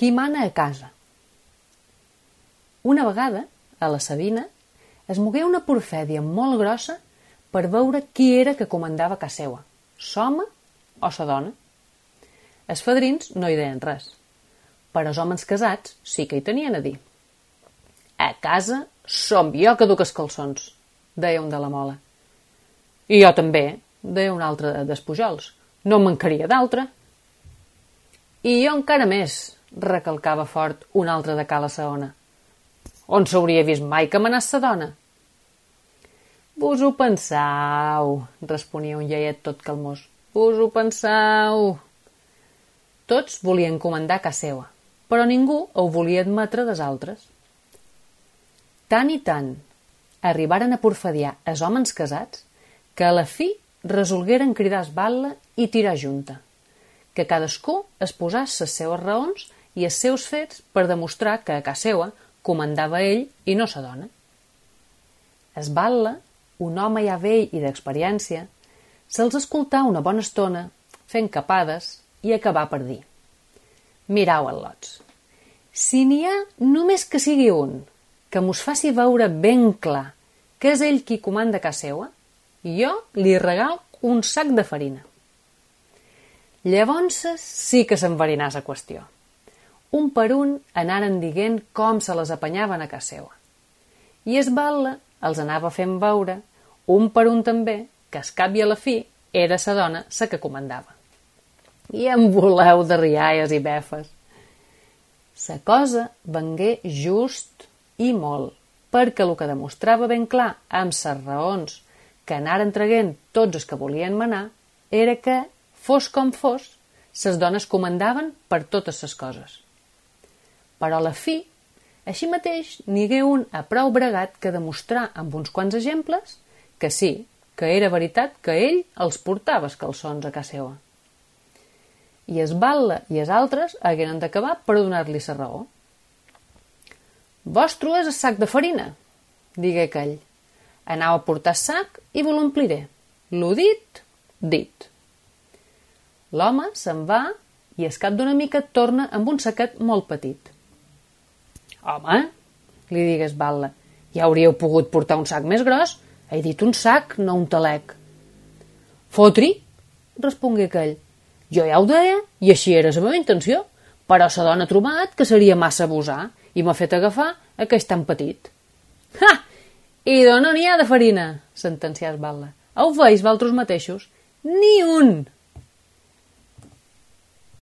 Qui mana a casa? Una vegada, a la Sabina, es mogué una porfèdia molt grossa per veure qui era que comandava a casa seua, l'home o la dona. Els fadrins no hi deien res, però els homes casats sí que hi tenien a dir. A casa som jo que duc els calçons, deia un de la mola. I jo també, deia un altre dels Pujols, no en mancaria d'altre. I jo encara més, recalcava fort un altre de Cala Saona. On s'hauria vist mai que manàs sa dona? Vos ho pensau, responia un iaiet tot calmós. Vos ho pensau. Tots volien comandar casa seua, però ningú ho volia admetre des altres. Tant i tant arribaren a porfadiar els homes casats que a la fi resolgueren cridar esbatla i tirar junta, que cadascú es posàs les seues raons i els seus fets per demostrar que a casa seua comandava ell i no sa dona. Esbatla, un home ja vell i d'experiència, se'ls escoltà una bona estona, fent capades, i acabà per dir: mirau, al·lots, si n'hi ha només que sigui un, que mos faci veure ben clar que és ell qui comanda casa seua, jo li regal un sac de farina. Llavors sí que s'enverinà la qüestió. Un per un anaren dient com se les apanyaven a casa seua. I esbatla els anava fent veure, un per un també, que al cap i a la fi era sa dona sa que comandava. I en voleu de rialles i befes. Sa cosa vengué just i molt, perquè el que demostrava ben clar amb ses raons que anaren traguent tots els que volien manar era que, fos com fos, ses dones comandaven per totes ses coses. Però a la fi, així mateix, n'hi hagué un a prou bregat que demostrar amb uns quants exemples que sí, que era veritat que ell els portava els calçons a casa seua. I esbatla i els altres hagueren d'acabar per donar-li la raó. Vostre és el sac de farina, digué aquell. Anau a portar sac i vos l'ompliré. Lo dit, dit. L'home se'n va i al cap d'una mica torna amb un saquet molt petit. Home, li digué esbatla, ja hauríeu pogut portar un sac més gros. He dit un sac, no un talec. Fotri, respongué aquell. Jo ja ho deia, i així era la meva intenció, però sa dona ha trobat que seria massa abusar i m'ha fet agafar aquest tan petit. Ha! I d'on n'hi ha de farina? Sentencià esbatla. Ho veus, valtros mateixos? Ni un!